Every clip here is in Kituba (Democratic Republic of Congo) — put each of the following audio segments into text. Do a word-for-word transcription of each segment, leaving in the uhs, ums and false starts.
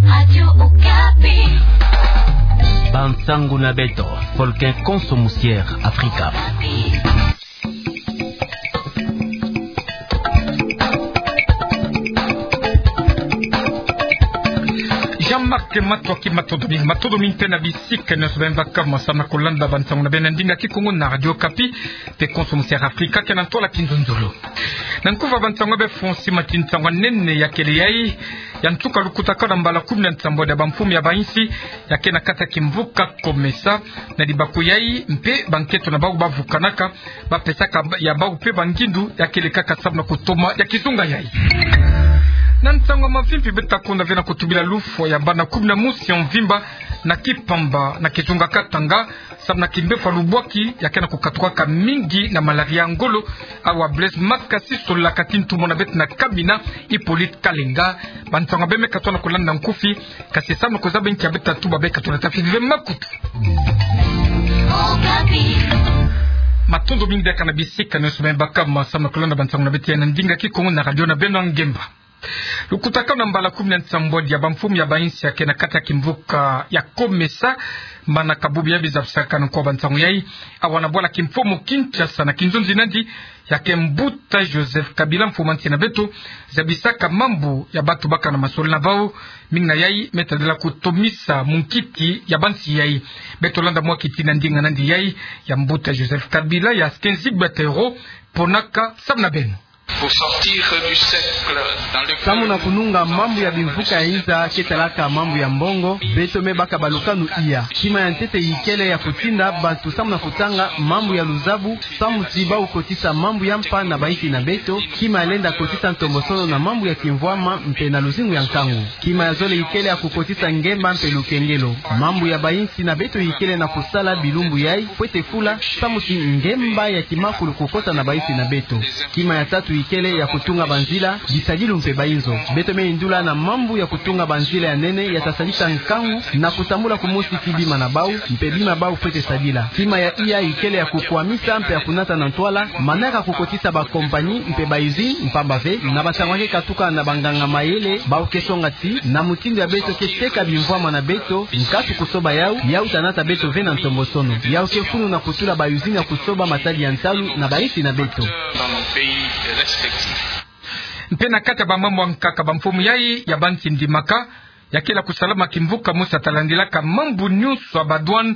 Radio Okapi. Bansangu na beto, folke konso musier Afrika. Jean-Marc Matoki, matondo mingi, matondo mingi mpe na bisika nyonso beno baka ma samu na kolanda bansangu na beno na ndinga Kikongo na Radio Okapi, mpe konso musier Afrika, ke na ntwala kinzonzolo. Na nkufa bansangu ya be François Mathieu, nsangu ya nene ya kele yai, ya nsuka lukutakanu na mbala kumi na nsambwadi ya bamfumu ya bainsi, ya ke na kati ya kimvuka COMESA, na libaku yai, mpe bankento na bau bavukanaka, bapesaka ya bau mpe bangindu, ya kele kaka samu na kutoma ya kizunga yai. Na nsangu ya mavimpi beto ta konda ve na kutubila lufwa ya bana kumi na mosi ya mvimba na Kipamba, na kizunga Katanga, samu na kimbevo ya lubwaki, ya ke na kukatukaka mingi na malaria ya ngolo, awa Blaise Makasi solaka ti ntumwa na beto na Kamina, Hippolyte Kalenga. Bansangu ya be me katoa na kolanda nkufi, kasi samu na kuzaba nki ya beto ta tuba, be katoa na tafiti ve makutu. Matondo mingi diaka na bisika nyonso beno baka ma samu na kolanda bansangu na beto ya na ndinga Kikongo na radio na beno ya ngemba. Lukutakanu na mbala kumi na nsambwadi ya bamfumu ya bainsi ya ke na kati ya kimvuka ya COMESA, mana kabubi ya biza bisaka na nko bansangu yai, awa na bwala kimfumu Kinshasa na kinzonzi nandi, ya ke mbuta Joseph Kabila, mfumu ya nsi na beto, zabisaka mambu ya bantu baka na masolo na bau, mingi na yai me tadila kutomisa munkiti ya bansi yai. Beto landa mwa kiti na ndinga nandi yai, ya mbuta Joseph Kabila, ya Kenzi Batero, ponaka samu na beno. Pour sortir du cercle dans lequel... Samu na kununga mambu ya bimvuka ya inza ke talaka mambu ya mbongo, beto me baka balukanu iya. Kima ya ntete ikele ya kutinda bantu samu na kutanga mambu ya luzabu, samu ti bau kotisa mambu ya mpa na bainsi na beto, kima ya lenda kotisa ntombosono na mambu ya kimvwama mpe na luzingu ya nkangu. Kima ya zole ikele ya kukotisa ngemba mpe lukengelo. Mambu ya bainsi na beto ikele na kusala bilumbu yai, fwete fula, samu ti ngemba ya kimakulu kukota na bainsi na beto. Kima ya tatu ikele ya kutunga banzila, bisadilu mpe bainzo. Beto me yindula na mambu ya kutunga banzila ya nene ya ta sadisa nkangu na kusambula kumosi ti bima na bau, mpe bima bau fwete sadila. Kima ya iya ikele ya kukwamisa mpe ya kunata na ntwala manaka kukotisa bakompani mpe baizini, mpamba ve, na bantangu ya ke katuka na banganga mayele, bau ke songa ti, na mutindu ya beto ke teka bimvwama na beto, nkatu kusoba yau, yau ta nata beto ve na ntombosono. Yau ke funu na kutula baizini ya kusoba matadi ya ntalu na bainsi na beto. Mpe na kati ya bamambu ya nkaka, bamfumu yai ya bansi ndimaka, ya kele kusalama kimvuka mosi ya ta landilaka mambu nyonso ya badouane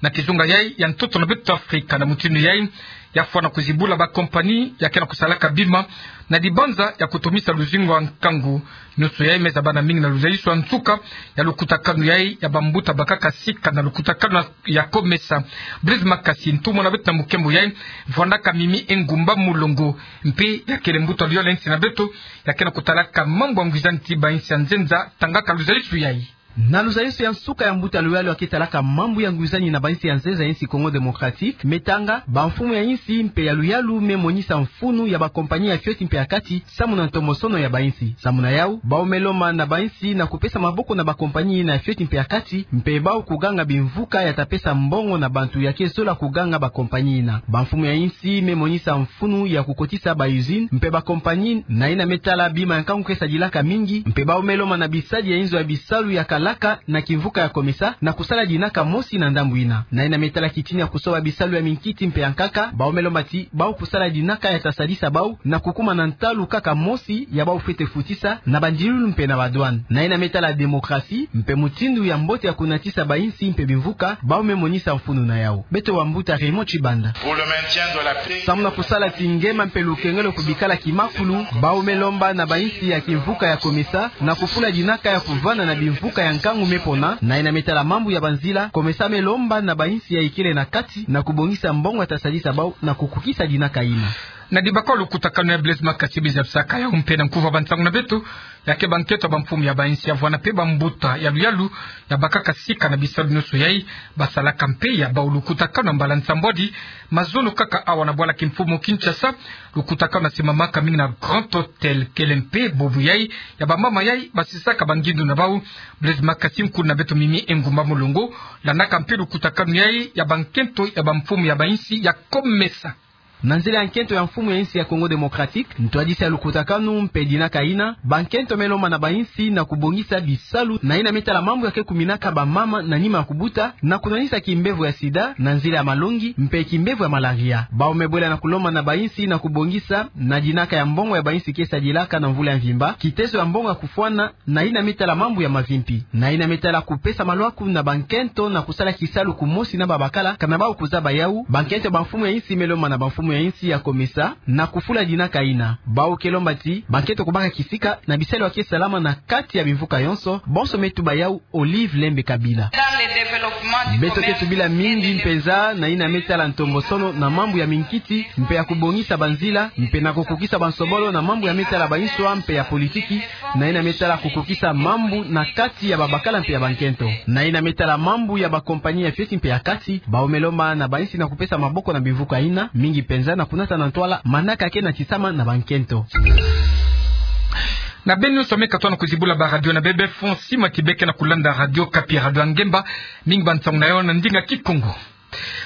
na kizunga yai ya ntoto na beto Afrika. Na mutindu yai, ya fwana kuzibula bakompani ya ke na kusalaka bima na dibanza ya kutomisa luzingu ya nkangu. Nyonso yai me zabana mingi na luzaiso ya nsuka ya lukutakanu yai ya bambuta bakaka sika na lukutakanu ya COMESA. Blaise Makasi, ntumwa na beto na mukembo yai, vwandaka Mimi Engumba Mulongo, mpe ya kele mbuta luyalu ya insi na beto, ya ke na kutalaka mambu ya ngwizani ti bainsi ya nzenza, tangaka luzaiso yai. Na luzaiso ya nsuka ya mbuta luyalu ya ke talaka mambu ya ngwizani na bainsi ya nzenza ya insi Congo Démocratique, me tanga, bamfumu ya insi mpe ya luyalu me monisa mfunu ya bakompani ya fioti mpe ya kati, samu na ntombosono ya bainsi. Samu na yau, bau me lomba na bainsi na kupesa maboko na bakompani yina ya fioti mpe ya kati, mpe bau kuganga bimvuka ya ta pesa mbongo na bantu ya ke zola kuganga bakompani yina. Bamfumu ya insi me monisa mfunu ya kukotisa baizini, mpe bakompani, na yina me tala bima ya nkangu ke sadilaka mingi, mpe bau me lomba na bisadi ya inzo ya bisalu ya kalaka na kimvuka ya COMESA, na kusala dinaka mosi na ndambu yina. Na yina me tala kitini ya kusoba bisalu ya minkiti mpe ya nkaka, bau me lomba ti, bau kusala dinaka ya ta sadisa bau, na kukuma na ntalu kaka mosi ya bau fwete futisa, na bandilulu mpe na badouane. Na yina me tala démocratie, mpe mutindu ya mbote ya kunatisa bainsi mpe bimvuka, bau me monisa mfunu na yau. Beto bambuta Raymond Tshibanda. Pour le maintien de la paix. Samu na kusala ti ngema mpe lukengelo kubikala kimakulu, bau me lomba na bainsi ya kimvuka ya COMESA, na kufula dinaka ya kuvanda na bimvuka ya nkangu me pona, na yina me tala mambu ya banzila, COMESA me lomba na bainsi ya ikele na kati, na kubongisa mbongo ya ta sadisa bau, na kukukisa dinaka yina. Na dibaka lukutakanu ya Blaise Makasi biza bisaka yau mpe na nkufa bansangu na beto, ya ke bankento ya bamfumu ya bainsi ya vwanda mpe bambuta ya luyalu, ya bakaka sika na bisalu nyonso yai, basalaka mpe ya bau lukutakanu na mbala nsambwadi, mazono kaka awa na bwala kimfumu Kinshasa, lukutakanu na simamaka mingi na Grand Hôtel, kele mpe bobo yai, ya bamama yai, basisaka bangindu na bau, Blaise Makasi, nkuna beto Mimi Engumba Mulongo, landaka mpe lukutakanu yai, ya bankento, ya bamfumu ya bainsi, ya COMESA. Na nzila ya nkento ya mfumu ya insi ya Congo Démocratique, ntwadisi ya lukutakanu mpe dinaka ina, bankento me lomba na bainsi na kubongisa bisalu na ina me tala mambu ya ke kuminaka bamama na nima ya kubuta, na kunwanisa kimbevo ya sida na nzila ya malongi mpe kimbevo ya malaria. Bawu me bwela na kulomba na bainsi na kubongisa na dinaka ya mbongo ya bainsi ke sadilaka na mvula ya mvimba, kitezo ya mbongo ya kufwana na ina me tala mambu ya mavimpi, na ina me tala kupesa malwaku na bankento na kusala kisalu kumosi na babakala, kana bawu kuzaba yawu. Bankento ya bamfumu ya insi me lomba na bamfumu ya insi ya COMESA na kufula dinaka ina. Bawu ke lomba ti bankento kubaka kisika na bisalu ya ke salama na kati ya bimvuka yonso. Bonso me tuba yawu Olive Lembe Kabila. Beto ke tubila mingi mpenza na ina me tala ntombosono na mambu ya minkiti mpe ya kubongisa banzila, mpe na kukukisa bansobolo na mambu ya me tala bainswa mpe ya politiki, na ina me tala kukukisa mambu na kati ya babakala mpe ya bankento. Na ina me tala mambu ya bakompani ya fioti mpe ya kati, bawu me lomba na bainsi na kupesa maboko na bimvuka ina, mingi mpenza na kunata na ntwala manaka ke natisama na bankento. Na beno nyonso me katuka na kuzibula baradio na bebe, fon sima ti bê ke na kulanda Radio Okapi, radio ya ngemba, mingi bansangu na yo na ndinga Kikongo.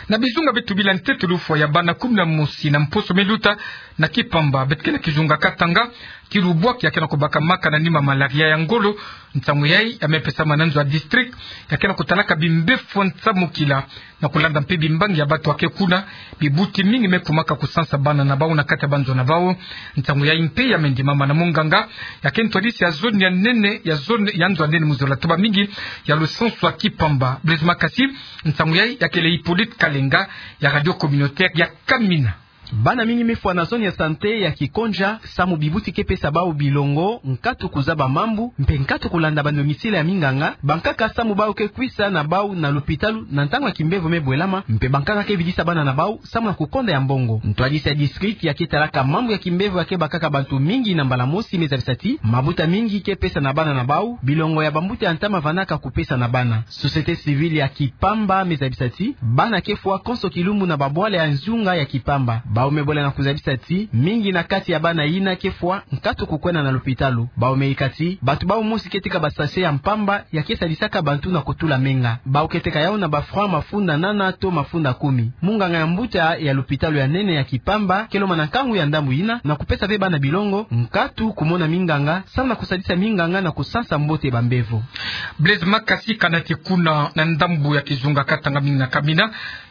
Na bizunga beto bila ntetolo, fwa ya bana kumi na mosi na mposo me luta na Kipamba, beto ke na kizunga Katanga, kilu bwaki ya ke na kubakamaka na nima malaria ya ngolo. Nsangu yayi ya me pesama na nzo ya district ya ke na kutalaka bimbevo nsamukila. Na kulanda mpe bimbangi ya bato ya ke kuna, bibuti mingi me kumaka kusansa bana na bawu na kati ya banzo na bawu. Nsangu yayi mpe ya me ndimama na munganga ya ke ntwadisi ya zone ya nene, ya zone ya nzo ya nene mu zola tuba mingi ya lusansu ya Kipamba, Blaise Makasi. Nsangu yayi ya kele Hippolyte Kalenga ya radio communautaire ya Kamina. Bana mingi me fwa na zone ya santé ya Kikonja, samu bibuti ke pesa bawu bilongo, nkatu kuzaba mambu, mpe nkatu kulanda bandongisila ya minganga, bankaka, samu bawu ke kwisa na bawu na lopitalo na ntangu ya kimbevo me bwelama, mpe bankaka ke vidisa bana na bawu samu na kukonda ya mbongo. Ntwadisi ya district ya ke talaka mambu ya kimbevo ya ke bakaka bantu mingi na mbala mosi me zabisa ti mabuta mingi ke pesa na bana na bawu bilongo ya bambuta ya ntama vandaka kupesa na bana. Société civile ya Kipamba me zabisa ti bana ke fwa konso kilumbu na babwala ya nzunga ya Kipamba. Bawu me bwela na kuzabisa ti mingi na kati ya bana yina ke fwa nkatu kukwenda na lopitalo. Bawu me yika ti bato bawu mosi ke tika ba sachet ya mpamba ya ke sadisaka bantu na kutula menga. Bawu ke teka yawu na ba francs mafunda nana to mafunda kumi. Munganga ya mbuta ya lopitalo ya nene ya Kipamba ke lomba na nkangu ya ndambu yina na kupesa ve bana bilongo, nkatu kumona minganga, samu na kusadisa minganga na kusansa mbote bambevo. Blaise Makasi, kana ti kuna na ndambu ya kizunga Katanga mingi na Kamina,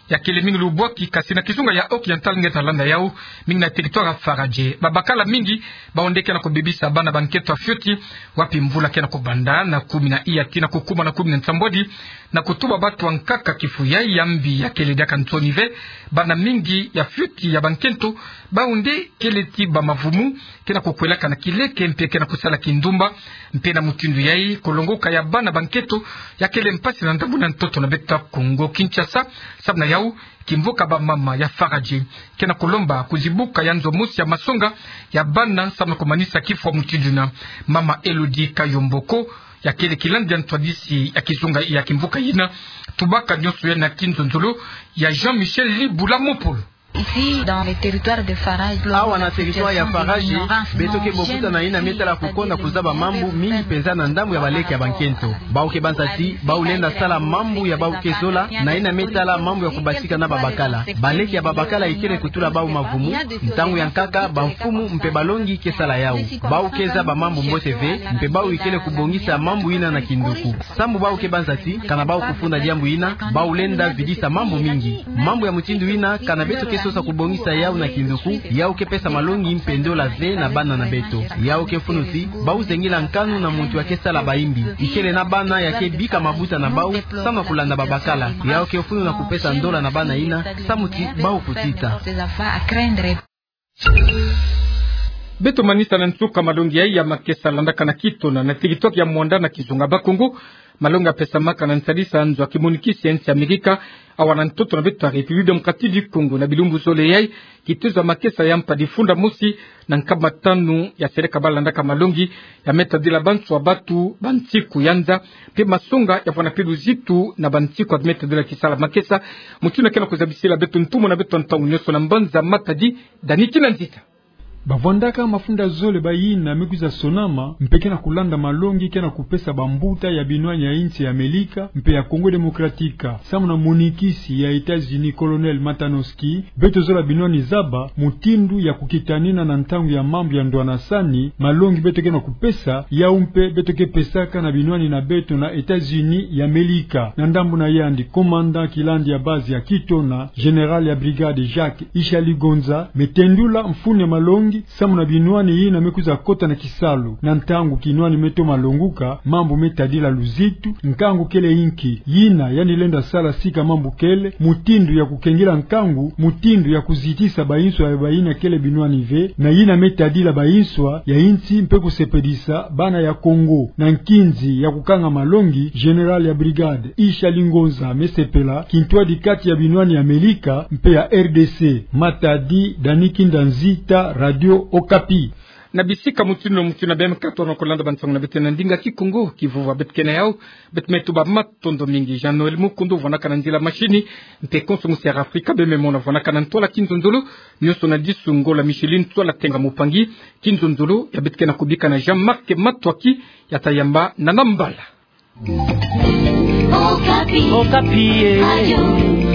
ya kele mingi lubwaki, kasi na kizunga ya Occidental nge ta landa yawu, mingi na territoire ya Faradje, babakala mingi bawu nde ke na kubebisa bana bankento ya fioti, wapi mvula ke na kubanda na kumi na iya tii na kukuma na kumi na nsambwadi, na kutuba bato ya nkaka kifu yayi ya mbi ya kele diaka nsoni ve. Bana mingi ya fioti ya bankento, bawu nde kele ti bamavumu, ke na kukwelaka na kileke mpe ke na kusala kindumba. Mpe na mutindu yayi, kulongoka ya bana bankento ya kele mpasi na ndambu na ntoto na beto ya Kongo Kinshasa. Samu na yawu, kimvuka bamama ya Faradje ke na kulomba kuzibuka ya nzo mosi ya masonga ya bana samu na kumanisa kifwa mutindu yina. Mama Elodie Kayomboko, ya kele kilandi ya ntwadisi ya kizunga ya kimvuka yina, tubaka nyonso yayi na kinzonzolo ya Jean-Michel Libula Mopolo. Ici, dans le territoire de Faradje, awa na territoire ya Faradje, beto ke bokuta na yina me tala kukonda kuzaba mambu mingi mpenza na ndambu ya baleke ya bankento. Bawu ke banza ti bawu lenda sala mambu ya bawu ke zola, na yina me tala mambu ya kubasika na babakala. Baleke ya babakala ikele kutula bawu mavumu, ntangu ya nkaka bamfumu mpe balongi ke sala yawu. Bawu ke zaba mambu mbote ve, mpe bawu ikele kubongisa mambu yina na kinduku. Samu bawu ke banza ti kana bawu kufunda diambu yina, bawu lenda vidisa mambu mingi. Mambu ya mutindu yina, kana beto ke sosa kubongisa yawu na kinduku, yawu ke pesa malongi mpe ndola ve na bana na beto. Yawu ke funu ti bawu zengila nkanu na muntu ya ke sala bayimbi. Ikele na bana ya ke bika mabuta na bawu samu na kulanda babakala. Yawu ke funu na kupesa ndola na bana yina, samu ti bawu kutita. Beto manisa na nsuka malongi yayi ya makesa landaka na kitona na territoire ya Muanda na kizunga Bakongo. Malongi ya pesamaka na nsalisa nzo ya kimonikisi ya nsi Amerika awa na ntoto na beto ya République Démocratique du Congo. Na bilumbu zole yayi, kitezo ya makesa ya mpa difunda mosi na nkama tanu ya seleka ba landaka malongi ya me tadila banswa batu, bansiku ya nza, mpe masonga ya vwanda mpe luzitu na bansiku ya me tadila kisala makesa. Mutindu ke na kuzabisila beto ntumwa na beto ntangu nyonso na mbanza Matadi, Dani Kinanzita. Bavwandaka mafunda zole bayina me kwiza sonama, mpe ke na kulanda malongi ke na kupesa bambuta ya binwani ya insi ya Amelika mpe ya Congo Democratique. Samu na monikisi ya États-Unis, Colonel Matanowski, beto zola binwani zaba mutindu ya kukitanina na ntangu ya mambu ya ndwanasani, malongi beto ke na kupesa, yau mpe beto ke pesaka na binwani na beto na États-Unis ya Amelika. Na ndambu na yandi, commandant kilandi ya base ya Kitona, général ya brigade Jacques Ishaligonza, me tendula mfunu ya malongi, samu na binwani yina me kwiza kota na kisalu. Na ntangu kinwani me toma longuka, mambu me tadila luzitu, nkangu kele inki? Yina yandi lenda sala sika mambu kele, mutindu ya kukengila nkangu, mutindu ya kuzitisa banswa ya bayina kele binwani ve, na yina me tadila banswa ya insi mpe kusepelisa bana ya Congo. Na nkinzi ya kukanga malongi, général ya brigade Ishaligonza me sepela kintwadi kati ya binwani ya Amelika mpe ya R D C. Matadi, Dani Kinda Nzita, Radio Okapi. Na bisika mutindu na mutindu na B M quatre, tona kolanda bansangu na beto na ndinga Kikongo. Kivova beto ke na yau, beto me tuba matondo mingi. Jean-Noël Mukundu vwanaka na nzila mashini, mpe konso musi ya Afrika Bememona vwanaka na ntwala kinzonzolo, nyonso na disu ngola Micheline Twala Tenga Mupangi. Kinzonzolo ya beto ke na kubika na Jean-Marc Matwaki, ya tayamba na nambala. Okapi. Okapi, eh. Radio.